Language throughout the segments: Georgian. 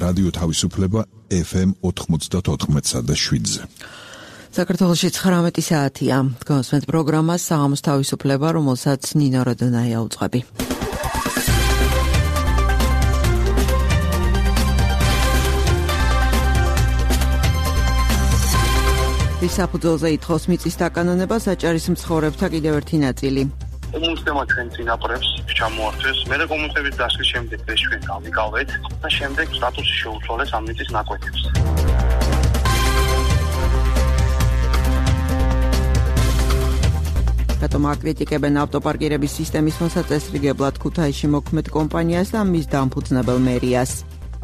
რადიო თავისუფლება FM 94.7-ზე. საქართველოში 19 საათია. გასვენთ პროგრამას საღამოს თავისუფლება, რომელსაც ნინო როდონაია უძღვები. საფუძველზე ითხოვს მიწის დაკანონება საჭარის მცხოვრებთა კიდევ ერთი ნაწილი. კომუნისტებმა ჩვენ წინაპრებს ჩამოართვეს, მერე კომუნისტების დასვლის შემდეგ ეს ჩვენ გავიკავეთ და შემდეგ სტატუსი შეუცვალეს ამ მიწის ნაკვეთებს. რატომ აკრიტიკებენ ავტოპარკირების სისტემის მოსაწესრიგებლად ქუთაისში მოქმედ კომპანიას და მის დამფუძნებელ მერიას?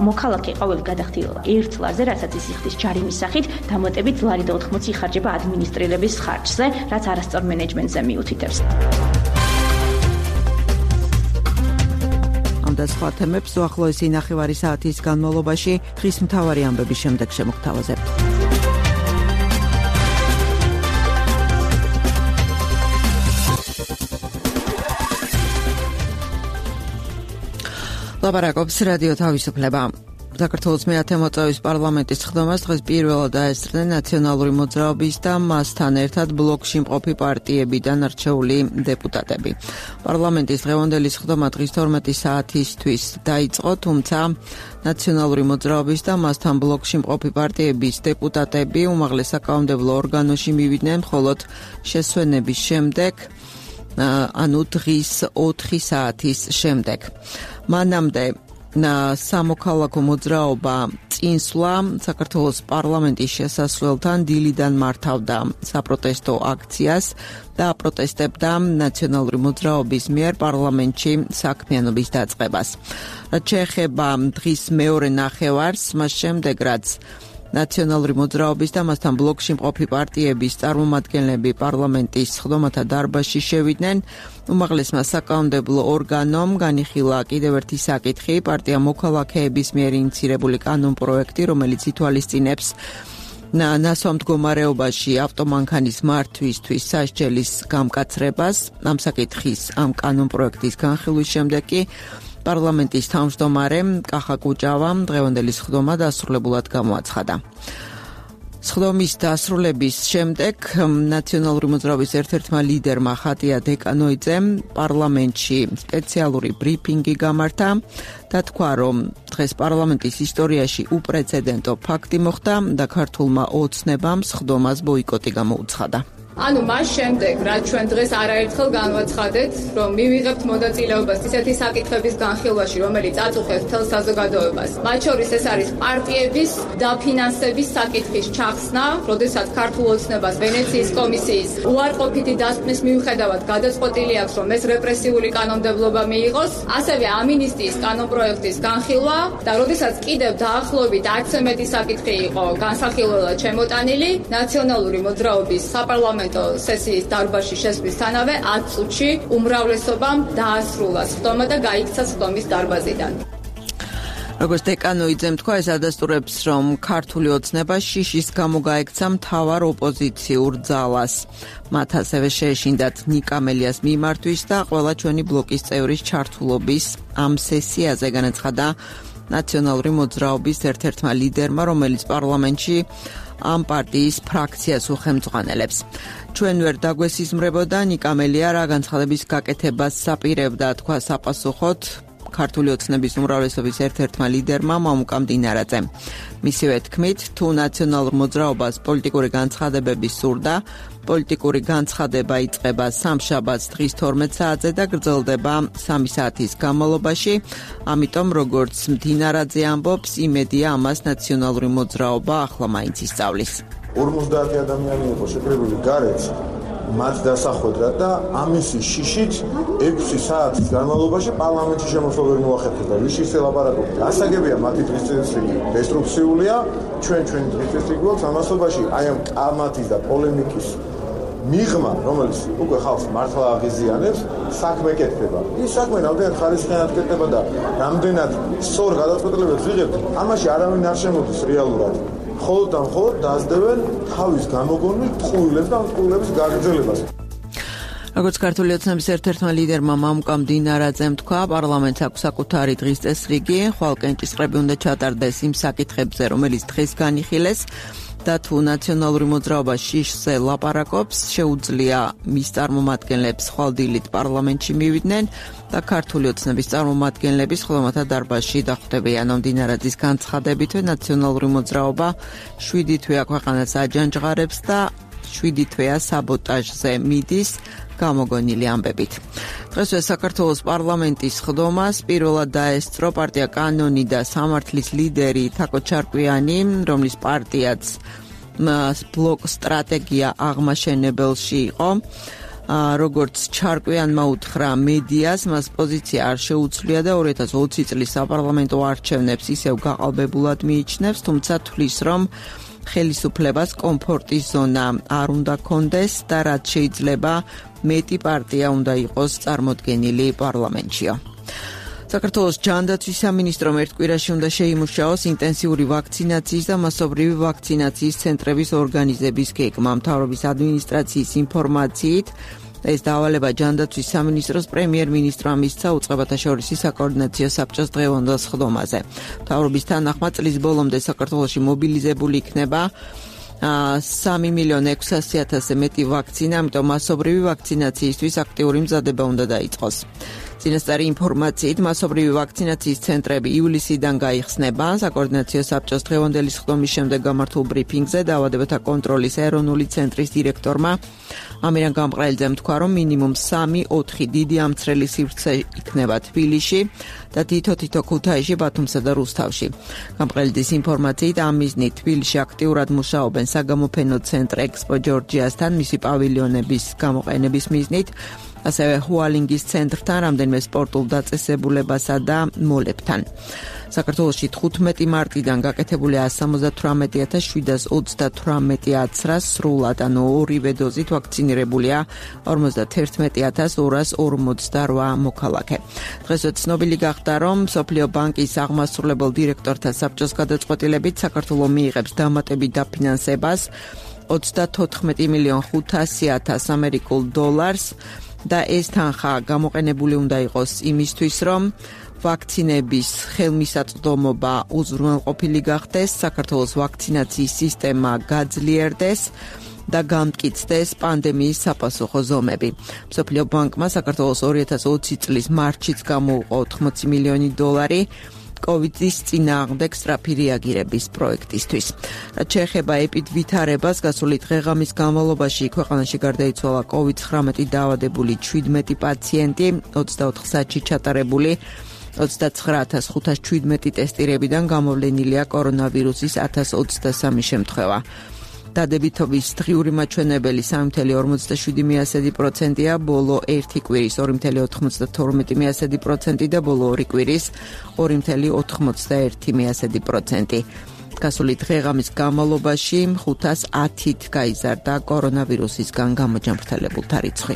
მოქალაქე ყოველ გადახდილ ერთ ლარზე, რასაც ის იხდის ჯარიმის სახით, დამატებით ლარი და 80 იხარჯება ადმინისტრირების ხარჯზე, რაც არასწორ მენეჯმენტზე მიუთითებს. ამ და სხვა თემებს უახლოესი ნახევარი საათის განმავლობაში დღის მთავარი ამბების შემდეგ შემოგთავაზებთ. ლაპარაკობს რადიო თავისუფლება. საქართველოს მე-10 მოწვევის პარლამენტის ხდომას დღეს პირველად დაესწრნენ ნაციონალური მოძრაობის და მასთან ერთად ბლოკში მყოფი პარტიებიდან არჩეული დეპუტატები. პარლამენტის დღევანდელი ხდომა დღის 12 საათისთვის დაიწყო, თუმცა ნაციონალური მოძრაობის და მასთან ბლოკში მყოფი პარტიების დეპუტატები უმაღლეს საკანონმდებლო ორგანოში მივიდნენ მხოლოდ შესვენების შემდეგ, ანუ დღის 4 საათის შემდეგ. მანამდე სამოქალაქო მოძრაობა წინსვლა საქართველოს პარლამენტის შესასვლელთან დილიდან მართავდა საპროტესტო აქციას და აპროტესტებდა ნაციონალური მოძრაობის მიერ პარლამენტში საქმიანობის დაწყებას. რაც შეეხება დღის მეორე ნახევარს, მას შემდეგ რაც ნაციონალური მოძრაობის და მასთან ბლოკში მყოფი პარტიების წარმომადგენლები პარლამენტის ხდომათა დარბაზში შევიდნენ, უმაღლესმა საკანონმდებლო ორგანომ განიხილა კიდევ ერთი საკითხი, პარტია მოქალაქეების მიერ ინიცირებული კანონპროექტი, რომელიც ითვალისწინებს ნასვამ მდგომარეობაში ავტომანქანის მართვისთვის სასჯელის გამკაცრებას. ამ საკითხის ამ კანონპროექტის განხილვის შემდეგ კი პარლამენტის თავმჯდომარე კახა კუჭავამ დღევანდელი ხდომა დასრულებულად გამოაცხადა. ხდომის დასრულების შემდეგ ნაციონალური მოძრაობის ერთ-ერთმა ლიდერმა ხატია დეკანოიძემ პარლამენტში სპეციალური ბრიფინგი გამართა და თქვა, რომ დღეს პარლამენტის ისტორიაში უპრეცედენტო ფაქტი მოხდა და ქართულმა ოცნებამ ხდომას ბოიკოტი გამოუცხადა. ანუ მას შემდეგ, რაც ჩვენ დღეს არაერთხელ განვაცხადეთ, რომ მივიღებთ მონაწილეობას ისეთი საკითხების განხილვაში, რომელიც აწუხებს მთელ საზოგადოებას. მათ შორის ეს არის პარტიების დაფინანსების საკითხის ჩახსნა, როდესაც ქართულ ოცნებას ვენეციის კომისიის უარყოფითი დასკვნის მიუხედავად გადაწყვეტილი აქვს, რომ ეს რეპრესიული კანონმდებლობა მიიღოს, ასევე ამინისტიის კანონპროექტის განხილვა და როდესაც კიდევ დაახლოებით 10-ზე მეტი საკითხი იყო განსახილველად შემოტანილი, ნაციონალური მოძრაობის საპარლამენტო სესიის დარბაზში შესვლისთანავე 10 წუთში უმრავლესობამ დაასრულა ხდომა და გაიქცა ხდომის დარბაზიდან. როგორც დეკანოიძემ თქვა, ეს ადასტურებს, რომ ქართული ოცნება შიშის გამო გაექცა მთავარ ოპოზიციურ ძალას. მათ ასევე შეეშინდათ ნიკამელიას მიმართვის და ყველა ჩვენი ბლოკის წევრის ჩართულობის ამ სესიაზე, განაცხადა ნაციონალური მოძრაობის ერთ-ერთმა ლიდერმა, რომელიც პარლამენტში ამ პარტიის ფრაქციას უხელმძღვანელებს. ჩვენ ვერ დაგვესიზმრებოდა ნიკამელია რა განცხადების გაკეთებას საპირებდა, თქვა საპასუხოდ ქართული ოცნების უმრავლესობის ერთ-ერთმა ლიდერმა მამუკამ დინარაძემ. მისივე თქმით, თუ ნაციონალურ მოძრაობას პოლიტიკური განცხადებები სურდა, პოლიტიკური განცხადება იწყება სამშაბათს დღის 12 საათზე და გრძელდება 3 საათის განმავლობაში, ამიტომ როგორც დინარაძე ამბობს, იმედია ამას ნაციონალური მოძრაობა ახლა მაინც ისწავლის. 50 ადამიანი იყო შეკრებილი გარეთ, მათ დასახვედრა და ამისი შიშით 6 საათის განმავლობაში პარლამენტში შემოსვლა ვერ მოახერხებდა. ვის ისე ლაპარაკობთ? გასაგებია მათი დღის წესრიგი დესტრუქციულია, ჩვენ დღის წესრიგი გვაქვს ამასობაში, აი ამ კამათის და პოლემიკის მიღმა, რომელიც უკვე ხალხს მართლა აღიზიანებს, საქმე კეთდება. ის საქმე რამდენად ხარისხიანად კეთდება და რამდენად სწორ გადაწყვეტილებებს ვიღებთ, ამაში არავინ არ შემოდის რეალურად. მხოლოდ და მხოლოდ დაძდევენ თავის გამოგონილ ტყუილებს და ამ ტყუილების გაგრძელებას. როგორც ქართული ოცნების ერთ-ერთმა ლიდერმა მამუკამ დინარაძემ თქვა, პარლამენტს აქვს საკუთარი დღის წესრიგი, ხვალ კენჭისყრები უნდა ჩატარდეს იმ საკითხებზე, რომელიც დღეს განიხილეს და თუ ნაციონალური მოძრაობა შიშზე ლაპარაკობს, შეუძლია მის წარმომადგენლებს ხვალ დილით პარლამენტში მივიდნენ და ქართული ოცნების წარმომადგენლები სხდომათა დარბაზში დახვდებიან. დინარაძის განცხადებითვე ნაციონალური მოძრაობა 7 თვეა ქვეყანას აჯანჯღარებს და 7 თვეა საბოტაჟზე მიდის, გამოგონილი ამბებით. დღესვე საქართველოს პარლამენტის სხდომას პირველად დაესწრო პარტია კანონი და სამართლის ლიდერი თაკო ჩარკვიანი, რომლის პარტიაც ბლოკ სტრატეგია აღმაშენებელში იყო. როგორც ჩარკვიანმა უთხრა მედიას, მას პოზიცია არ შეუცვლია და 2020 წლის საპარლამენტო არჩევნებს ისევ გაყალბებულად მიიჩნევს, თუმცა თვლის, რომ ხელისუფლებას კომფორტის ზონა არ უნდა კონდეს და რაც შეიძლება მეტი პარტია უნდა იყოს წარმოდგენილი პარლამენტშია. საქართველოს ჯანდაცვის სამინისტრომ ერთ კვირაში უნდა შეიმუშაოს ინტენსიური ვაქცინაციის და მასობრივი ვაქცინაციის ცენტრების ორგანიზების გეგმა. მთავრობის ადმინისტრაციის ინფორმაციით ეს დავალება ჯანდაცვის სამინისტროს პრემიერ-მინისტრმა მისცა უწყებათა შორის საკოორდინაციო საბჭოს დღევანდელ სხდომაზე. მთავრობის თანახმად წლის ბოლომდე საქართველოში მობილიზებული იქნება 3,600,000-ზე მეტი ვაქცინა, ამიტომ მასობრივი ვაქცინაციისთვის აქტიური მზადება უნდა დაიწყოს. წინასწარი ინფორმაციით მასობრივი ვაქცინაციის ცენტრები ივლისიდან გაიხსნება. საკოორდინაციო საბჭოს დღევანდელი სხდომის შემდეგ გამართულ ბრიფინგზე დაავადებათა კონტროლის ეროვნული ცენტრის დირექტორმა ამირან გამყრელიძემ თქვა, რომ მინიმუმ 3-4 დიდი ამცრელი სივრცე იქნება თბილისში და თითო ქუთაისში, ბათუმსა და რუსთავში. გამყრელიძის ინფორმაციით ამ მიზნით თბილისში აქტიურად მუშაობენ საგამოფენო ცენტრ ექსპო ჯორჯიასთან მისი პავილიონების გამოყენების მიზნით, ასევე ჰუალინგის ცენტრთან, რამდენიმე სპორტულ დაწესებულებასა და მოლებთან. საქართველოში 15 მარტიდან გაკეთებული 178,728 აცრა სრულად, ანუ ორივე დოზით ვაქცინირებულია 51,248 მოქალაქე. დღეს ცნობილი გახდა, რომ მსოფლიო ბანკის აღმასრულებელ დირექტორთა საბჭოს გადაწყვეტილებით საქართველო მიიღებს დამატებით დაფინანსებას 34,500,000 ამერიკულ დოლარს და ეს თანხა გამოყენებული უნდა იყოს იმისთვის, რომ ვაქცინების ხელმისაწვდომობა უზრუნველყოფილი გახდეს, საქართველოს ვაქცინაციის სისტემა გაძლიერდეს და გამტკიცდეს პანდემიის საპასუხო ზომები. მსოფლიო ბანკმა საქართველოს 2020 წლის მარტშიც გამოუყო 80 მილიონი დოლარი კოვიდის წინააღმდეგ სწრაფი რეაგირების პროექტისთვის. რაც შეეხება ეპიდვითარებას, გასული დღე-ღამის განმავლობაში ქვეყანაში გარდაიცვალა COVID-19 დაავადებული 17 პაციენტი, 24 საათში ჩატარებული 29,517 ტესტირებიდან გამოვლენილია კორონავირუსის 1023 შემთხვევა. დადებითობის დღიური მაჩვენებელი 3,47%-ია, ბოლო 1 კვირის 2,92% და ბოლო 2 კვირის 2,91%. გასული დღე-ღამის განმავლობაში 510-ით გაიზარდა კორონავირუსისგან გამოჯანმრთელებულთა რიცხვი.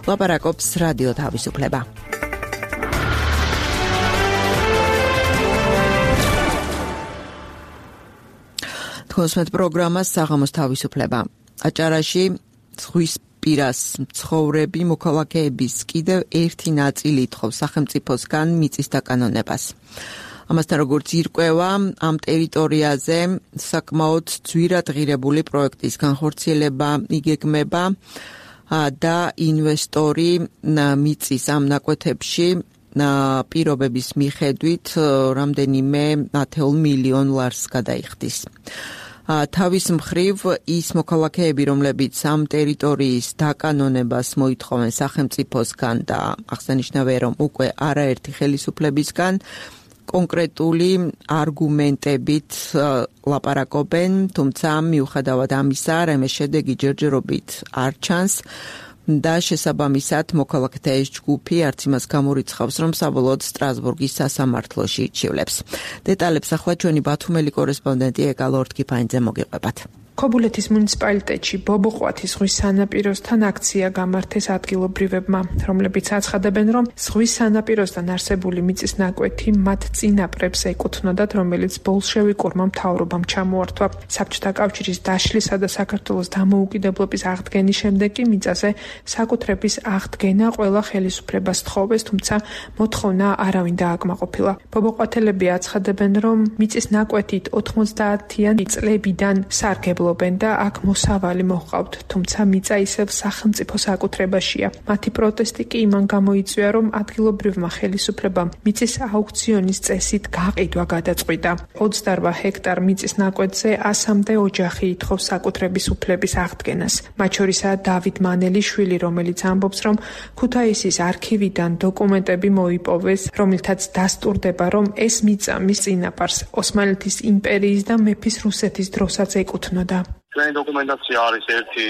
ლაპარაკობს რადიო თავისუფლება. კონსმეთ პროგრამა საღამოს თავისუფლება. აჭარაში ზღვის პირას მცხოვრები მოქალაქეების კიდევ ერთი ნაწილი ითხოვს სახელმწიფოსგან მიწის დაკანონებას. ამასთან როგორც ირკვევა, ამ ტერიტორიაზე საკმაოდ ძვირად ღირებული პროექტის განხორციელება იგეგმება და ინვესტორი მიწის ამ ნაკვეთებში პირობების მიხედვით რამდენიმე 10 მილიონ ლარს გადაიხდის. თავის მხრივ ის მოქალაქეები, რომლებიც ამ ტერიტორიის დაკანონებას მოითხოვენ სახელმწიფოსგან და აღსანიშნავია, რომ უკვე არაერთი ხელისუფლებისგან კონკრეტული არგუმენტებით ლაპარაკობენ, თუმცა მიუხედავად ამისა, რამე შედეგი ჯერჯერობით არ ჩანს და შესაბამისად მოქალაქეთა ეს ჯგუფი არც იმას გამორიცხავს, რომ საბოლოოდ სტრასბურგის სასამართლოში იჩივლებს. დეტალებს ახლა ჩვენი ბათუმელი კორესპონდენტი ეკა ლორდ-კიფაინძე მოგიყვებათ. ქობულეთის მუნიციპალიტეტში ბობოყვათის ზღვის სანაპიროსთან აქცია გამართეს ადგილობრივებმა, რომლებიც აცხადებენ, რომ ზღვის სანაპიროსთან არსებული მიწის ნაკვეთი მათ წინაპრებს ეკუთვნოდათ, რომელიც ბოლშევიკურმა მთავრობამ ჩამოართვა. საბჭოთა კავშირის დაშლისა და საქართველოს დამოუკიდებლობის აღდგენის შემდეგ კი მიწაზე საკუთრების აღდგენა ყველა ხელისუფლებას თხოვეს, თუმცა მოთხოვნა არავინ დააკმაყოფილა. ბობოყვათელები აცხადებენ, რომ მიწის ნაკვეთით 90-იან წლებიდან სარგებლობენ და აქ მოსავალი მოჰყავთ, თუმცა მიწა ისევ სახელმწიფო საკუთრებაშია. მათი პროტესტი კი იმან გამოიწვია, რომ ადგილობრივმა ხელისუფლებამ მიწის აუქციონის წესით გაყიდვა გადაწყვიტა. 28 ჰექტარ მიწის ნაკვეთზე 100-მდე ოჯახი ითხოვს საკუთრების უფლების აღდგენას. მათ შორისაა დავით მანელიშვილი, რომელიც ამბობს, რომ ქუთაისის არქივიდან დოკუმენტები მოიპოვეს, რომელთაც დასტურდება, რომ ეს მიწა მის წინაპარს ოსმალეთის იმპერიის და მეფის რუსეთის დროსაც ეკუთვნოდა. ჩვენი დოკუმენტაცია არის ერთი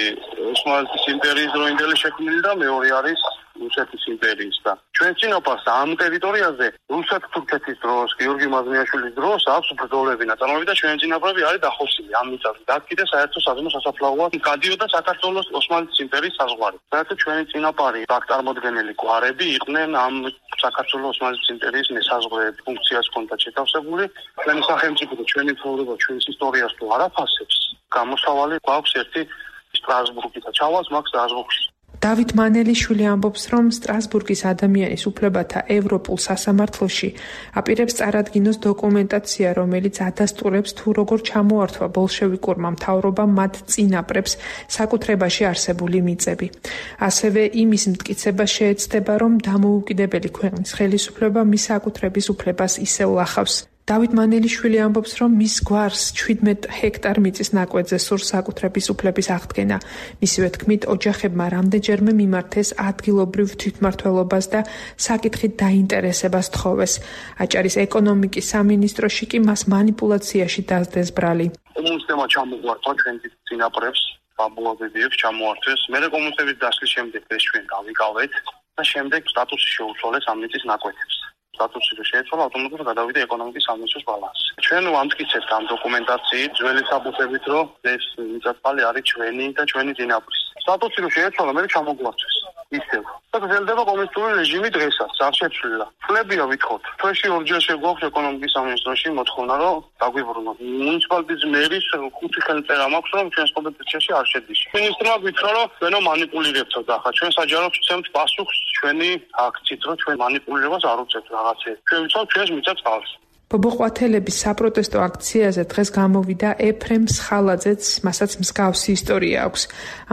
ოსმალეთის იმპერიის დროინდელი შექმნილი და მეორე არის რუსეთის იმპერიის და ჩვენ წინაპარს ამ ტერიტორიაზე რუსეთ-თურქეთის დროს, გიორგი მაზნიაშვილის დროს აქვს ბრძოლები ნაწარმოები და ჩვენი წინაპრები არის დახოსილი ამ მიწაზე. და კიდე საერთო საზღვაო სასაფლაოა გადიოდა საქართველოს ოსმალეთის იმპერიის საზღვარი. საერთოდ ჩვენი წინაპარი აქ წარმოდგენილი გვარები იყვნენ ამ საქართველოს ოსმალეთის იმპერიის მესაზღვრე ფუნქციას ჰქონდათ შეთავსებული. ჩვენი სახელმწიფო და ჩვენი მთავრობა ჩვენს ისტორიას თუ არ აფასებს, გამოსავალი გვაქვს ერთი სტრასბურგი და ჩავალს მაგ სტრასბურგში. დავით მანელიშვილი ამბობს, რომ სტრასბურგის ადამიანის უფლებათა ევროპულ სასამართლოში აპირებს წარადგინოს დოკუმენტაცია, რომელიც ადასტურებს თუ როგორ ჩამოართვა ბოლშევიკურმა მთავრობამ მათ წინაპრებს საკუთრებაში არსებული მიწები. ასევე იმის მტკიცება შეეცდება, რომ დამოუკიდებელი ქვეყნის ხელისუფლება მის საკუთრების უფლებას ისევ ლახავს. დავით მანელიშვილი ამბობს, რომ მის გვარს 17 ჰექტარ მიწის ნაკვეთზე სურს საკუთრების უფლების აღდგენა. მისივე თქმით, ოჯახებმა რამდენჯერმე მიმართეს ადგილობრივ თვითმმართველობას და საკითხით დაინტერესებას თხოვეს. აჭარის ეკონომიკის სამინისტროში კი მას манипуляციაში დასდეს ბრალი. კომუნისტებმა ჩამოგვართა ჩვენ წინაპრებს, ბაბუაბებიებს ჩამოართვეს. მერე კომუნისტების დასლის შემდეგ ეს ჩვენ გავიკავეთ და შემდეგ სტატუსი შეუცვალეს ამ მიწის ნაკვეთებს. სტატუსი შეეცვალა ავტომატურად გადავიდა ეკონომიკის სამინისტროს ბალანსში. ჩვენ ვამტკიცებთ ამ დოკუმენტაციით ძველი საბუთებით, რომ ეს მიწათმალი არის ჩვენი და ჩვენი წინაპრის. სტატუსი შეეცვალა, მე ჩამოგვარჩეს. ისევ. და გრძელდება კომუნისტური რეჟიმი დღესაც, არ შეცვლილა. ფლებია ვითხოვთ. თვეში ორჯერ შეგვაქვს ეკონომიკის სამინისტროში მოთხოვნა, რომ დაგვიბრუნოთ. მუნიციპალიტეტის მერის 5 ხელწერა მაქვს, რომ ჩვენს კომპეტენციაში არ შედის. მინისტრმა გითხრა, რომ ჩვენო манипуლირებთ ახლა. ჩვენ საჯაროდ ვცემთ პასუხს ჩვენი აქციით, რომ ჩვენ манипуლირებას არ უწევთ რაღაცე. ჩვენ ვიცავთ ჩვენს მიწას წყალს. ბობოყვათელების საპროტესტო აქციაზე დღეს გამოვიდა ეფრემ სხალაძეც, მასაც მსგავსი ისტორია აქვს.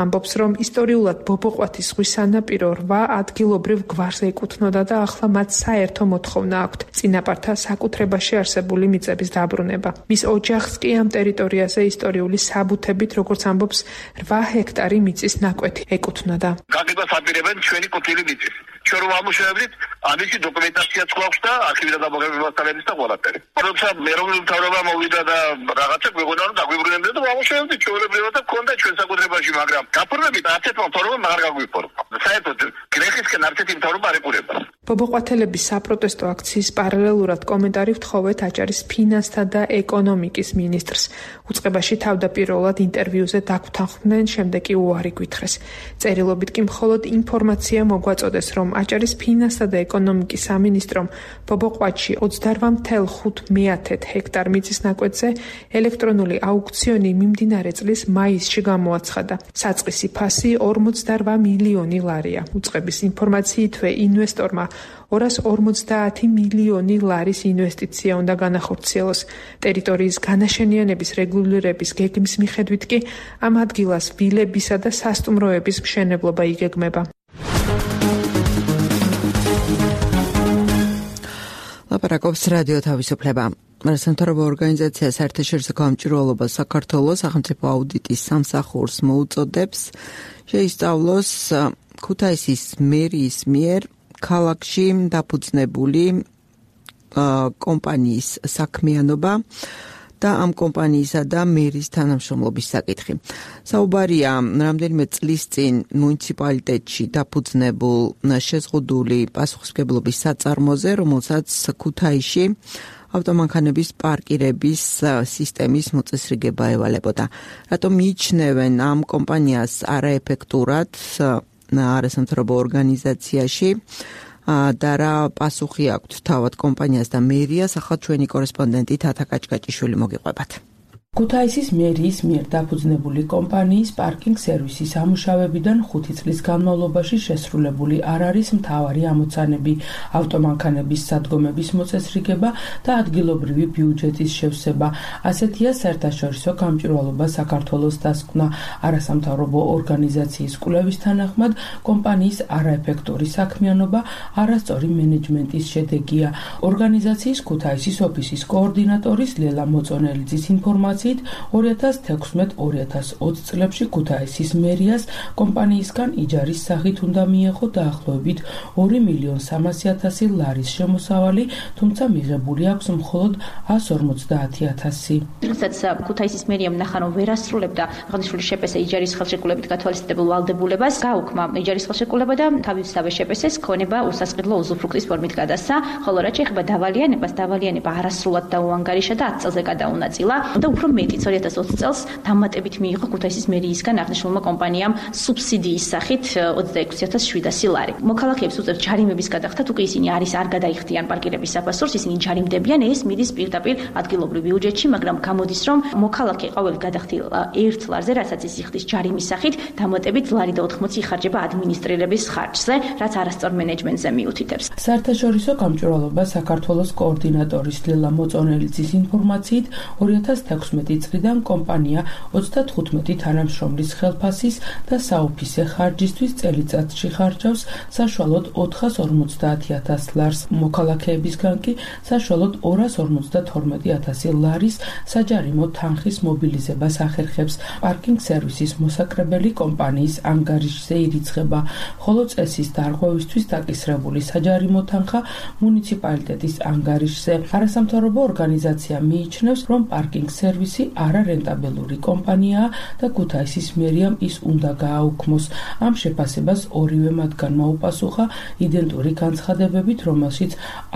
ამბობს, რომ ისტორიულად ბობოყვათის ზღვის სანაპირო 8 ადგილობრივ გვარს ეკუთვნოდა და ახლა მათ საერთო მოთხოვნა აქვთ წინაპართა საკუთრებაში არსებული მიწების დაბრუნება. მის ოჯახს კი ამ ტერიტორიაზე ისტორიული საბუთებით, როგორც ამბობს, 8 ჰექტარი მიწის ნაკვეთი ეკუთვნოდა. გაგებას აპირებენ ჩვენი კუთილი მიწის. ჩვენ რომ ამუშავებდით, ამისი დოკუმენტაციაც გვაქვს და არქივიდან დამოუკიდებლობის და ყველაფერი. როცა მეროვნული მთავრობა მოვიდა და რაღაცა გვეუბნა, რომ დაგვიბრუნებდნენ და ამუშავებდით ჩვეულებრივად და გქონდა ჩვენ საკუთრებაში, მაგრამ გაფორმებით არცერთმა მთავრობამ აღარ გაგვიფორმა. საერთოდ გრეხისკენ არცერთი მთავრობა არ ეყურება. ბობოყვათელების საპროტესტო აქციის პარალელურად კომენტარი ვთხოვეთ აჭარის ფინანსთა და ეკონომიკის მინისტრს. უწყებაში თავდაპირველად ინტერვიუზე დაგვთანხმდნენ, შემდეგ კი უარი გვითხრეს. წერილობით კი მხოლოდ ინფორმაცია მოგვაწოდეს, რომ აჭარის ფინანსთა და ეკონომიკის სამინისტრომ ბობოყვათში 28,5 ჰექტარ მიწის ნაკვეთზე ელექტრონული აუქციონი მიმდინარე წლის მაისში გამოაცხადა. საწყისი ფასი 48 მილიონი ლარია. უწყების ინფორმაციითვე ინვესტორმა 250 მილიონი ლარის ინვესტიცია უნდა განახორციელოს. ტერიტორიის განაშენიანების რეგულირების გეგმის მიხედვით კი ამ ადგილას ვილებისა და სასტუმროების მშენებლობა იგეგმება. ლაპარაკობს რადიო თავისუფლება. სამთავრობო ორგანიზაცია საერთაშორისო გამჭვირვალობა საქართველოს სახელმწიფო აუდიტის სამსახურს მოუწოდებს შეისწავლოს ქუთაისის მერიის მიერ ქალაქში დაფუძნებული კომპანიის საქმიანობა და ამ კომპანიისა და მერის თანამშრომლობის საკითხი. საუბარია რამდენიმე წლის წინ მუნიციპალიტეტში დაფუძნებულ შეზღუდული პასუხისმგებლობის საწარმოზე, რომელსაც ქუთაისში ავტომანქანების პარკირების სისტემის მოწესრიგება ევალებოდა. რატომ მიიჩნევენ ამ კომპანიას არაეფექტურად არასამთავრობო ორგანიზაციაში და რა პასუხი აქვთ თავად კომპანიას და მერიას, ახლა ჩვენი კორესპონდენტი თათა კაჭკაჭიშვილი მოგიყვებათ. ქუთაისის მერიის მიერ დაფუძნებული კომპანიის პარკინგ სერვისის ამუშავებიდან 5 წლის განმავლობაში შესრულებული არ არის მთავარი ამოცანები, ავტომანქანების სადგომების მოწესრიგება და ადგილობრივი ბიუჯეტის შევსება. ასეთია საერთაშორისო გამჭვირვალობა საქართველოს დასკვნა. არასამთავრობო ორგანიზაციის კვლევის თანახმად, კომპანიის არაეფექტური საქმიანობა არასწორი მენეჯმენტის შედეგია. ორგანიზაციის ქუთაისის ოფისის კოორდინატორის ლელა მოწონელიძის ინფორმაციით 2016-2020 წლებში ქუთაისის მერიას კომპანიისგან იჯარის სახით უნდა მიეღო დაახლოებით 2.300.000 ლარის შემოსავალი, თუმცა მიღებული აქვს მხოლოდ 150,000. როდესაც ქუთაისის მერიამ ნახა, რომ ვერ ასრულებდა აღნიშნული შეპესე იჯარის ხელშეკრულებით გათვალისწინებულ ვალდებულებას, გაუქმა იჯარის ხელშეკრულება და თავისთავად შეპესეს ქონება უსასყიდლო უზუფრუქტის ფორმით გადასცა, ხოლო რაც შეეხება დავალიანებას, დავალიანება არასრულად დაუანგარიშა და 10 წელზე გადაუნაწილა და უფრო მეტიც 2020 წელს დამატებით მიიღო ქუთაისის მერიისგან აღნიშნულმა კომპანიამ სუბსიდიის სახით 26,700 ლარი. მოქალაქეებს უწევთ ჯარიმების გადახდათ, უკვე ისინი არ გადაიხდიან პარკირების საფასურს, ისინი ჯარიმდებიან, ეს მიდის პირდაპირ ადგილობრივ ბიუჯეტში, მაგრამ გამოდის, რომ მოქალაქე ყოველ გადახდილ 1 ლარზე, რასაც ის იხდის ჯარიმის სახით, დამატებით ლარი და 80 იხარჯება ადმინისტრირების ხარჯზე, რაც არასწორ მენეჯმენტზე მიუთითებს. საერთაშორისო გამჭვირვალობა საქართველოს კოორდინატორის ლელა მოწონელიძის ინფორმაციით 2016 წლიდან კომპანია 35 თანამშრომლის ხელფასის და საოფისე ხარჯისთვის წელიწადში ხარჯავს საშუალოდ 450,000 ლარს, მოქალაქეებისგან კი საშუალოდ 252,000 ლარის საჯარიმო თანხის მობილიზებას ახერხებს. პარკინგ სერვისის მოსაკრებელი კომპანიის ანგარიშზე ირიცხება, ხოლო წესის დარღვევისთვის დაკისრებული საჯარიმო თანხა მუნიციპალიტეტის ანგარიშზე. არასამთავრობო ორგანიზაცია მიიჩნევს, რომ პარკინგ სერვისი არარენტაბელური კომპანიაა და ქუთაისის მერიამ ის უნდა გააუქმოს. ამ შეფასებას ორივე მათგანმა უპასუხა იდენტური განცხადებებით, რომელშიც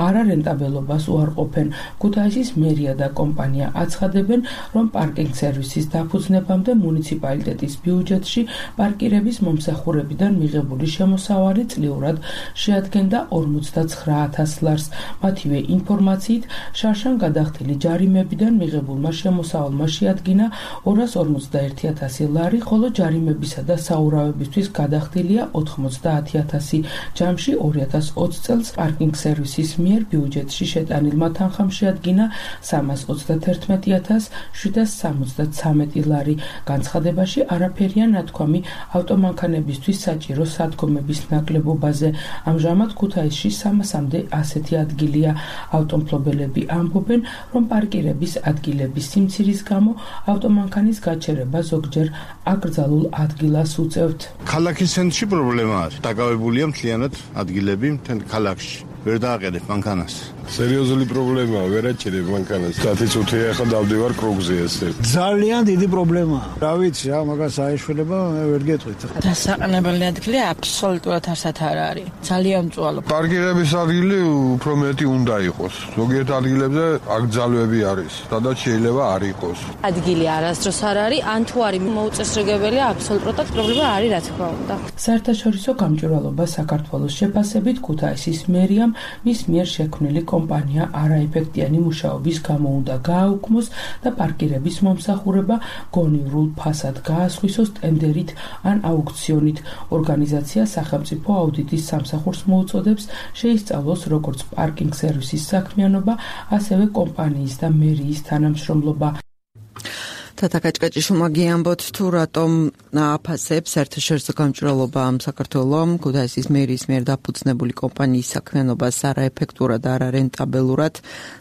არარენტაბელობას უარყოფენ. ქუთაისის მერია და კომპანია აცხადებენ, რომ პარკინგ სერვისის დაფუძნებამდე მუნიციპალიტეტის ბიუჯეტში პარკირების მომსახურებიდან მიღებული შემოსავალი წლიურად შეადგენდა 49,000 ლარს. მათივე ინფორმაციით, შარშან გადახდილი ჯარიმებიდან მიღებულმა შემოსავალმა შეადგინა 251,000 ლარი, ხოლო ჯარიმებისა და საურავებისთვის გადახდილია 90,000. ჯამში 2020 წელს პარკინგ სერვისის მიერ ბიუჯეტში შეტანილმა თანხამ შეადგინა 311,773 ლარი. განცხადებაში არაფერია ნათქვამი ავტომანქანებისთვის საჭირო სადგომების ნაკლებობაზე. ამჟამად ქუთაისში 300-მდე ასეთი ადგილია. ავტომფლობელები ამბობენ, რომ პარკირების ადგილების სიმცირის გამო ავტომანქანის გაჩერება ზოგჯერ აკრძალულ ადგილას უწევთ. ქალაქის ცენტრში პრობლემა არის. დაკავებულია მთლიანად ადგილები მთელ ქალაქში. ვერ დააყენებ მანქანას. სერიოზული პრობლემაა, ვერ აჭერებ მანქანას. 10 წუთია ახლა დავდივარ კრუგზე ესე. ძალიან დიდი პრობლემაა. რა ვიცი, რა მაგას აეშველება, მე ვერ გეტყვით. დასაყენებელი ადგილი აბსოლუტურად არსად არ არის. ძალიან მწვალო. პარკირების ადგილი უფრო მეტი უნდა იყოს. ზოგიერთ ადგილებზე აკრძალვები არის, სადაც შეიძლება არ იყოს. ადგილი არასდროს არ არის, ან თუ არის მოუწესრიგებელია, აბსოლუტურად პრობლემა არის, რა თქმა უნდა. საერთაშორისო გამჭვირვალობა საქართველოს შეფასებით ქუთაისის მერიამ მის მიერ შექმნილი კომპანია არაეფექტიანი მუშაობის გამო უნდა გააუქმოს და პარკირების მომსახურება გონივრულ ფასად გაასხვისოს ტენდერით ან აუქციონით. ორგანიზაცია სახელმწიფო აუდიტის სამსახურს მოუწოდებს შეისწავლოს როგორც პარკინგ სერვისის საქმიანობა, ასევე კომპანიის და მერიის თანამშრომლობა. თათა კაჭკაჭიშვილმა გიამბოთ თუ რატომ აფასებს საერთაშორისო გამჭვირვალობა საქართველოს ქუთაისის მერიის მიერ დაფუძნებული კომპანიის საქმიანობას არაეფექტურად და არარენტაბელურად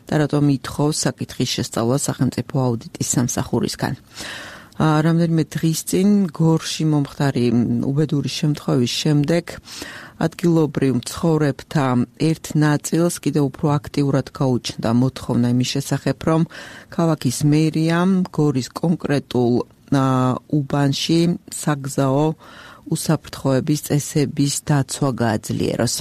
და რატომ ითხოვს საკითხის შესწავლა სახელმწიფო აუდიტის სამსახურისგან. რამდენიმე დღის წინ გორში მომხდარი უბედური შემთხვევის შემდეგ ადგილობრივ მცხოვრებთა ერთ ნაწილს კიდევ უფრო აქტიურად გაუჩნდა მოთხოვნა იმის შესახებ, რომ ქალაქის მერიამ გორის კონკრეტულ უბანში საგზაო უსაფრთხოების წესების დაცვა გააძლიეროს.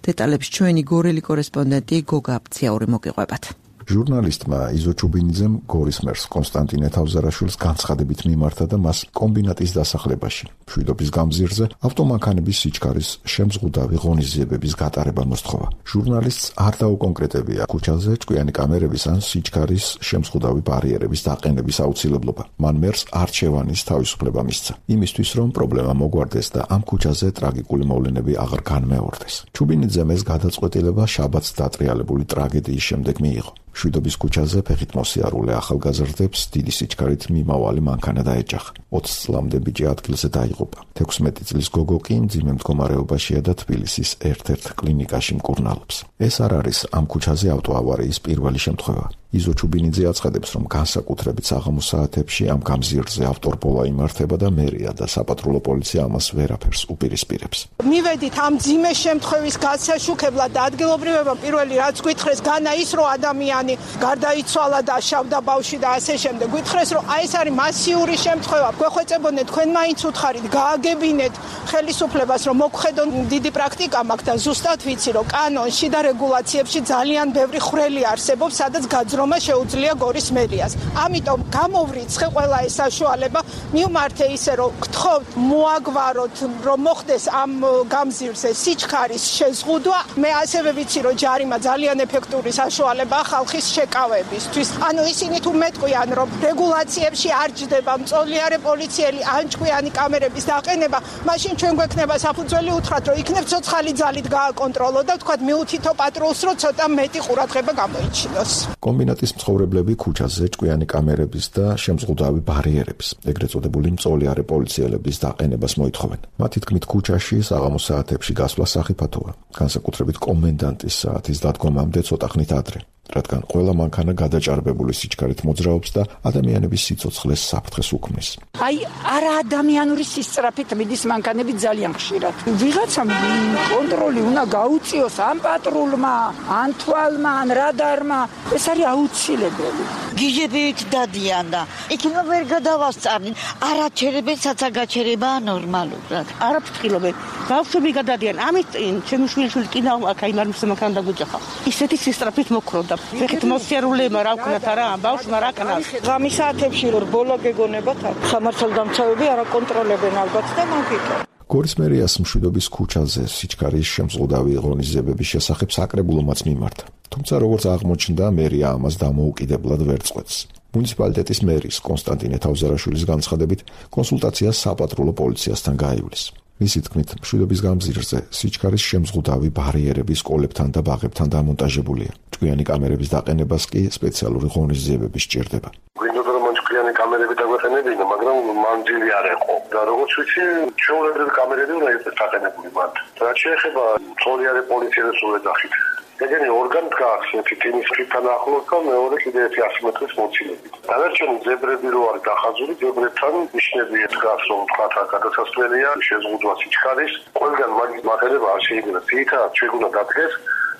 დეტალებს ჩვენი გორელი კორესპონდენტი გოგა აფციაური მოგიყვებათ. ჟურნალისტმა იზო ჩუბინიძემ გორის მერს კონსტანტინე თავზარაშვილს განცხადებით მიმართა და მას კომბინატის დასახლებაში მშვიდობის გამზირზე ავტომანქანების სიჩქარის შემზღუდავი ღონისძიებების გატარება მოსთხოვა. ჟურნალისტს არ დაუკონკრეტებია ქუჩაზე ჭკვიანი კამერების ან სიჩქარის შემზღუდავი ბარიერების დაყენების აუცილებლობა. მან მერს არჩევანის თავისუფლება მისცა, იმისთვის რომ პრობლემა მოგვარდეს და ამ ქუჩაზე ტრაგიკული მოვლენები აღარ განმეორდეს. ჩუბინიძემ ეს გადაწყვეტილება შაბათს დატრიალებული ტრაგედიის შემდეგ მიიღო. მშვიდობის ქუჩაზე ფეხით მოსიარულე ახალგაზრდებს დიდი სიჩქარით მიმავალი მანქანა დაეჯახა. 20 წლამდე ბიჭი ადგილზე დაიღუპა. 16 წლის გოგო კი მძიმე მდგომარეობაშია და თბილისის ერთ-ერთ კლინიკაში მკურნალობს. ეს არ არის ამ ქუჩაზე ავტოავარიის პირველი შემთხვევა. იზო ჩუბინიძე აცხადებს, რომ განსაკუთრებით საღამოს საათებში ამ გამზირზე ავტორბოლა იმართება და მერია და საპატრულო პოლიცია ამას ვერაფერს უპირისპირებს. მივედით ამ მძიმე შემთხვევის გასაშუქებლად და ადგილობრივებმა პირველი რაც გითხრეს, განა ის რომ ადამიანი გარდაიცვალა და შავდა ბავშვი და ასე შემდეგ. გითხრეს რომ აი ეს არის მასიური შემთხვევა. გვეხვეწებოდნენ თქვენ მაინც უთხარით, გააგებინეთ ხელისუფლებას რომ მოგხედონ დიდი პრაქტიკა მაქვს და ზუსტად ვიცი რომ კანონში და რეგულაციებში ძალიან ბევრი ხვრელი არსებობს, სადაც გაძრომა შეუძლია გორის მერიას. ამიტომ გამოვრიცხე ყველა ეს საშუალება, მივმართე ისე რომ გთხოვთ მოაგვაროთ რომ მოხდეს ამ გამზირზე სიჩქარის შეზღუდვა. მე ასევე ვიცი რომ ჯარიმა ძალიან ეფექტური საშუალებაა ხალხის შეკავებისთვის. ანუ ისინი თუ მეტყვიან რომ რეგულაციებში არ ჯდება მწოლიარე პოლიციელი ან ჭკვიანი კამერების დაყენება, მაშინ ჩვენ გვექნება საფუძველი უთხრათ რომ იქნებ ცოცხალი ძალით გააკონტროლო და თქვათ მიუთითო პატრულს რომ ცოტა მეტი ყურადღება გამოიჩინოს. კომბინატის მცხოვრებლები ქუჩაზე ჭკვიანი კამერების და შემზღუდავი ბარიერების, ეგრეთ წოდებული მწოლიარე პოლიციელების დაყენებას მოითხოვენ. მათი თქმით, ქუჩაში საღამოს საათებში გასვლა სახიფათოა, განსაკუთრებით კომენდანტის საათის დადგომამდე ცოტა ხნით ადრე, რადგან ყველა მანქანა გადაჭარბებული სიჩქარით მოძრაობს და ადამიანების სიცოცხლეს საფრთხეს უქმნის. აი, არა ადამიანური სისწრაფით მიდის მანქანები ძალიან ხშირად. ვიღაცამ კონტროლი უნდა გაუწიოს ამ პატრულმა, ან თვალმა, ან რადარმა. ეს არის აუცილებელი. გიჟებით დადიან და იქნება ვერ გადავასწავლენ. არაჩერებენ, საცაგაჩერებაა ნორმალურად. არაფრთხილობენ. ბავშვები გადადიან. ამით ჩემი შვილიშვილი კიდევ აქ აი მარმის მანქანა დაგვიჯახა. ისეთი სისწრაფით მოქროდა. ფეხით მოსიარულემა რა ვქნათ არა, ბავშვმა რა კნას. ღამის საათებში რომ ბოლა გეგონებათ, სამართალდამცავები არ აკონტროლებენ ალბათ და მაგიტო. გორის მერიას მშვიდობის ქუჩაზე სიჩქარის შემზღუდავი ღონისძიებების შესახებ საკრებულომაც მიმართა. თუმცა როგორც აღმოჩნდა, მერია ამას დამოუკიდებლად ვერ წყვეტს. მუნიციპალიტეტის მერის კონსტანტინე თავზარაშვილის განცხადებით, კონსულტაცია საპატრულო პოლიციასთან გაივლის. მისი თქმით, მშვიდობის გამზირზე სიჩქარის შემზღუდავი ბარიერები სკოლებთან და ბაღებთან დამონტაჟებულია. ჭკვიანი კამერების დაყენებას კი სპეციალური ღონისძიებები სჭირდება. გვინდოდა რომ ჭკვიანი კამერები დაგვეყენებინა, მაგრამ მანძილი არ იყო. და როგორც ვიცი, ჩვეულებრივი კამერები უნდა იყოს დაყენებული მათ. რაც შეეხება მწოლიარე პოლიციელებს უეძახით. ეგენი ორგანი დგას ერთი ტიმის ხიდან ახლოს და მეორე კიდე 100 მეტრის მოცილებით. დანარჩენი ზებრები რო არის დახაზული, ზებრებთან ნიშნები დგას რომ თქვა გადასასვლელია შეზღუდვა სიჩქარის. ყველგან მაგის მატარება არ შეიძლება. თითქოს ჩვენ უნდა დადგეს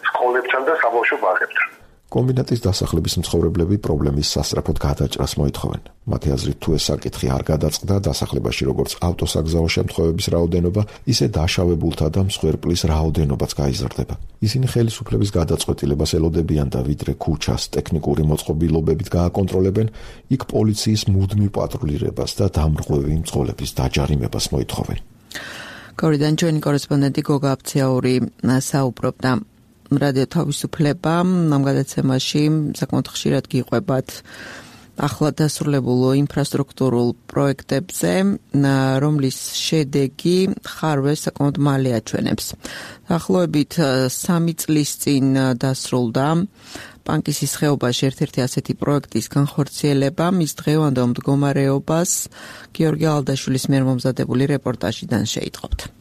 სკოლებთან და საბავშვო ბაღებთან. კომბინატის დასახლების მცხოვრებლები პრობლემის სასწრაფოდ გადაჭრას მოითხოვენ. მათი აზრით, თუ ეს საკითხი არ გადაწყდა, დასახლებაში როგორც ავტოსაგზაო შემთხვევების რაოდენობა, ისე დაშავებულთა და მსხვერპლის რაოდენობაც გაიზრდება. ისინი ხელისუფლების გადაწყვეტილებას ელოდებიან და ვიდრე ქუჩას ტექნიკური მოწყობილობებით გააკონტროლებენ, იქ პოლიციის მუდმივ პატრულირებას და დამრღვევი მძღოლების დაჯარიმებას მოითხოვენ. გორიდან ჩვენი კორესპონდენტი გოგა აფციაური საუბრობდა. რადიო თავისუფლება ამ გადაცემაში საკმაოდ ხშირად გიყვებათ ახლა დასრულებულ ინფრასტრუქტურულ პროექტებზე, რომლის შედეგი ხარვეს საკმაოდ მალე აჩვენებს. დაახლოებით 3 წლის წინ დასრულდა პანკისის ხეობაში ერთ-ერთი ასეთი პროექტის განხორციელება. მის დღევანდელ მდგომარეობას გიორგი ალდაშვილის მიერ მომზადებული რეპორტაჟიდან შეიტყობთ.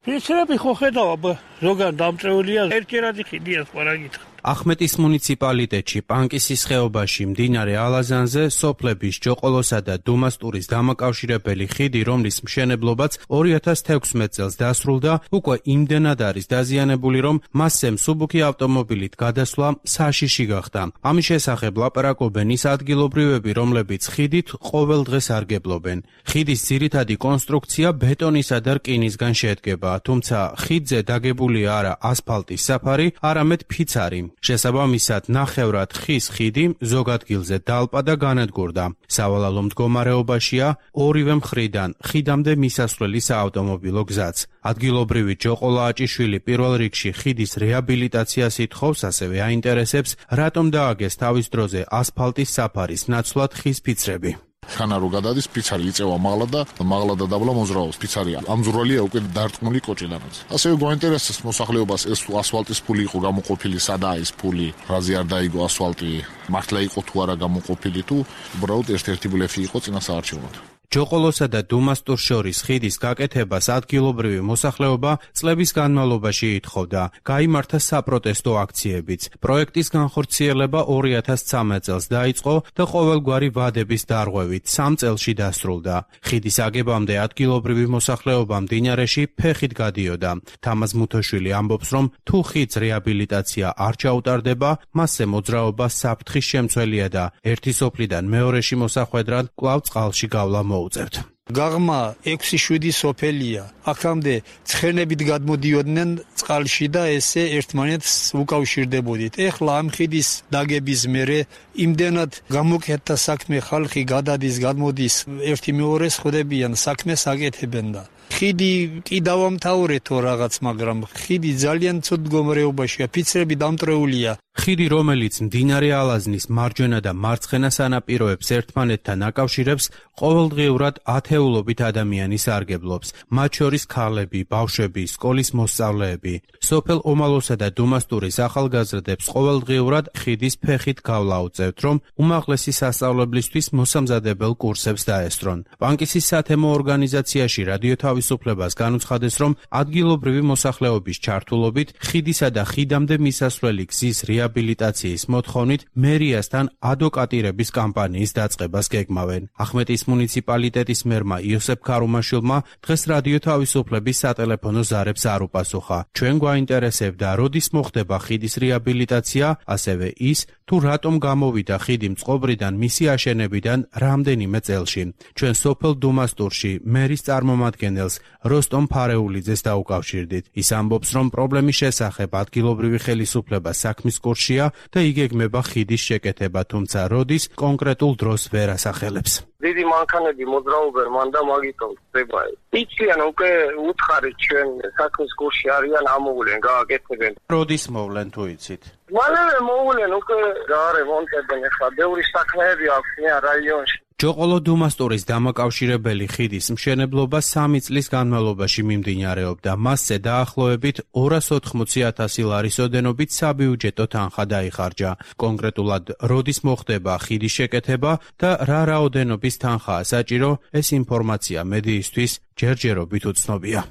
ისრები ხო ხედავ, ზოგან დამწეულია ერთჯერადი ხიდია სხვა რა გითხრა. ახმეტის მუნიციპალიტეტში პანკისის ხეობაში მდინარე ალაზანზე სოფლების ჯოყოლოსა და დუმასტურის დამაკავშირებელი ხიდი, რომლის მშენებლობაც 2016 წელს დასრულდა, უკვე იმდენად არის დაზიანებული, რომ მასზე მსუბუქი ავტომობილით გადასვლა საშიში გახდა. ამის შესახებ ლაპარაკობენ ის ადგილობრივები, რომლებიც ხიდით ყოველ დღეს არგებლობენ. ხიდის ძირითადი კონსტრუქცია ბეტონისა და რკინისგან შედგება, თუმცა ხიდზე დაგებულია არა ასფალტის საფარი, არამედ ფიცარი. შესაბამისად, ნახევრად ხის ხიდი ზოგ ადგილზე დალპა და განადგურდა. სავალალო მდგომარეობაშია ორივე მხრიდან ხიდამდე მისასვლელი საავტომობილო გზაც. ადგილობრივი ჯოყოლა აჭიშვილი პირველ რიგში ხიდის რეაბილიტაციას ითხოვს, ასევე აინტერესებს, რატომ დააგეს თავის დროზე ასფალტის საფარის ნაცვლად ხის ფიცრები. ხანა რო გადადის ფიცარი იწევა მაღლა და დაბლა მოძრაობს ფიცარია. ამძურვალია უკვე დარტყმული კოჭიდანაც. ასევე გვაინტერესებს მოსახლეობას ეს ასფალტის ფული იყო გამოყოფილი, სადაა ეს ფული, რაზე არ დაიგო ასფალტი, მართლა იყო თუ არა გამოყოფილი თუ უბრალოდ ერთ-ერთი ბლეფი იყო წინა საარჩევნოდ. ჯოყოლოსა და დუმასტურს შორის ხიდის გაკეთებას ადგილობრივი მოსახლეობა წლების განმავლობაში ითხოვდა. გაიმართა საპროტესტო აქციებიც. პროექტის განხორციელება 2013 წელს დაიწყო და ყოველგვარი ვადების დარღვევით 3 წელში დასრულდა. ხიდის აგებამდე ადგილობრივი მოსახლეობა მდინარეში ფეხით გადიოდა. თამაზ მუთოშვილი ამბობს, რომ თუ ხიდს რეაბილიტაცია არ ჩაუტარდება, მასზე მოძრაობა საფრთხის შემცველია და ერთი სოფლიდან მეორეში მოსახვედრად კვლავ წყალში გავლა მოუწევთ. გაღმა 6-7 სოფელია. აქამდე ცხენებით გადმოდიოდნენ წყალში და ესე ერთმანეთს უკავშირდებოდით. ეხლა ამ ხიდის დაგების მერე იმდენად გამოკეთდა საქმე, ხალხი გადადის, გადმოდის, ერთი მეორეს ხვდებიან, საქმეს აკეთებენ და ხიდი კი დავამთავრეთ თუ რაღაც, მაგრამ ხიდი ძალიან ცუდ მდგომარეობაშია, ფიცრები დამტრეულია. ხიდი, რომელიც მდინარე ალაზნის მარჯვენა და მარცხენა სანაპიროებს ერთმანეთთან აკავშირებს, ყოველდღიურად ათეულობით ადამიანი სარგებლობს, მათ შორის ქალები, ბავშვები, სკოლის მოსწავლეები. სოფელ ომალოსა და დუმასტურის ახალგაზრდებს ყოველდღიურად ხიდის ფეხით გავლა უწევთ, რომ უმაღლესი სასწავლებლისთვის მოსამზადებელ კურსებს დაესწრონ. პანკისის სათემო ორგანიზაციაში რადიო თავისუფლებას განუცხადეს, რომ ადგილობრივი მოსახლეობის ჩართულობით ხიდისა და ხიდამდე მისასვლელი გზის რეაბილიტაციის მოთხოვნით მერიასთან ადვოკატირების კამპანიის დაწყებას გეგმავენ. ახმეტის მუნიციპალიტეტის მერმა იოსებ ქარუმაშვილმა დღეს რადიო თავისუფლების სატელეფონო ზარებს არ უპასუხა. ჩვენ გვაინტერესებდა, როდის მოხდება ხიდის რეაბილიტაცია, ასევე ის, თუ რატომ გამოვიდა ხიდი მწყობრიდან მისი აშენებიდან რამდენიმე წელში. ჩვენ სოფელ დუმასტურში მერის წარმომადგენელს როსტომ ფარეულიძეს დაუკავშირდით. ის ამბობს, რომ პრობლემის შესახებ ადგილობრივი ხელისუფლება საქმის კურსშია და იგეგმება ხიდის შეკეთება, თუმცა როდის კონკრეტულ დროს ვერ ასახელებს. დიდი მანქანები მოძრაობენ მან და მაგიტომ ხდება. იციან უკვე უთხარით ჩვენ საქმის კურსში არიან, ამოვლენ, გააკეთებენ. როდის მოვლენ თუ იცით? მალევე მოვლენ, უკვე გაარემონტებენ, ახლა ბევრი საქმეები აქვს რაიონში. ჯოყოლო დუმასტურის დამაკავშირებელი ხიდის მშენებლობა 3 წლის განმავლობაში მიმდინარეობდა. მასზე დაახლოებით 280,000 ლარის ოდენობით საბიუჯეტო თანხა დაიხარჯა. კონკრეტულად როდის მოხდება ხიდის შეკეთება და რა რაოდენობის თანხაა საჭირო, ეს ინფორმაცია მედიისთვის ჯერჯერობით უცნობია.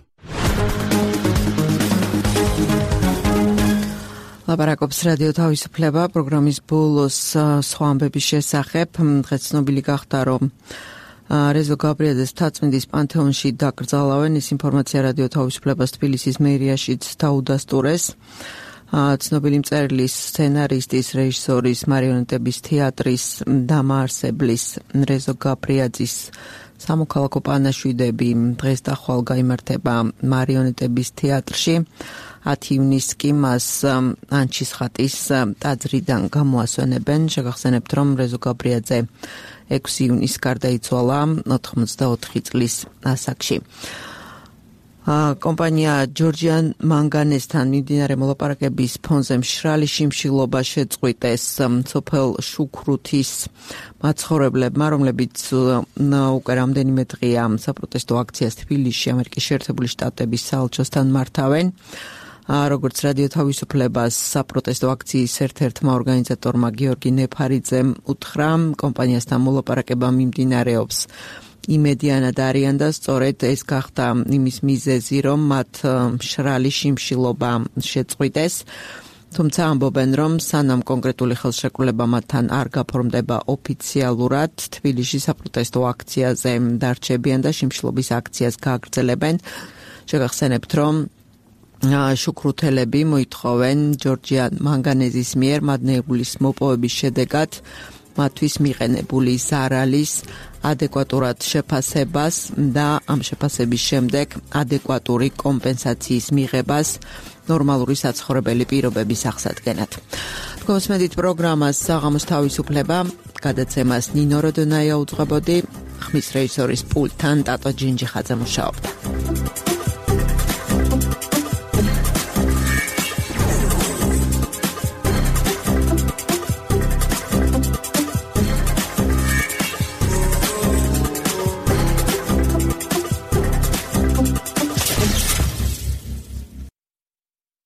ლაპარაკობს რადიო თავისუფლება პროგრამის ბოლოს სხვა ამბების შესახებ. დღეს ცნობილი გახდა, რომ რეზო გაბრიაძეს მთაწმინდის პანთეონში დაკრძალავენ. ეს ინფორმაცია რადიო თავისუფლებას თბილისის მერიაშიც დაუდასტურეს. ცნობილი მწერლის, სცენარისტის, რეჟისორის, მარიონეტების თეატრის დამაარსებლის რეზო გაბრიაძის სამოქალაქო პანაშვიდები დღეს და ხვალ გაიმართება მარიონეტების თეატრში. 10 ივნისს კი მას ანჩის ხატის ტაძრიდან გამოასვენებენ. შეგახსენებთ, რომ რეზო გაბრიაძე 6 ივნისს გარდაიცვალა 84 წლის ასაკში. კომპანია ჯორჯიან მანგანესთან მიმდინარე მოლაპარაკების ფონზე მშრალი შიმშილობა შეწყვიტეს სოფელ შუქრუთის მაცხოვრებლებმა, რომლებიც უკვე რამდენიმე დღეა საპროტესტო აქციას თბილისში ამერიკის შეერთებული შტატების საელჩოსთან მართავენ. როგორც რადიო თავისუფლებას საპროტესტო აქციის ერთ-ერთმა ორგანიზატორმა გიორგი ნეფარიძემ უთხრა, კომპანიასთან მოლაპარაკება მიმდინარეობს იმედიანად არიან და სწორედ ეს გახდა იმის მიზეზი, რომ მათ მშრალი შიმშილობა შეწყვიტეს. თუმცა ამბობენ, რომ სანამ კონკრეტული ხელშეკრულება მათთან არ გაფორმდება ოფიციალურად, თბილისში საპროტესტო აქციაზე დარჩებიან და შიმშილობის აქციას გააგრძელებენ. შეგახსენებთ, რომ შუქრუთელები მოითხოვენ ჯორჯიან მანგანეზის მიერ მადნეულის მოპოვების შედეგად მათთვის მიყენებული ზარალის ადეკვატურად შეფასებას და ამ შეფასების შემდეგ ადეკვატური კომპენსაციის მიღებას ნორმალური საცხოვრებელი პირობების აღსადგენად. თქვენს პროგრამას საღამოს თავისუფლება გადაცემას ნინო როდონაია უძღვებოდი, ხმის რეჟისორის პულტთან ტატო ჯინჯიხაძე მუშაობდა.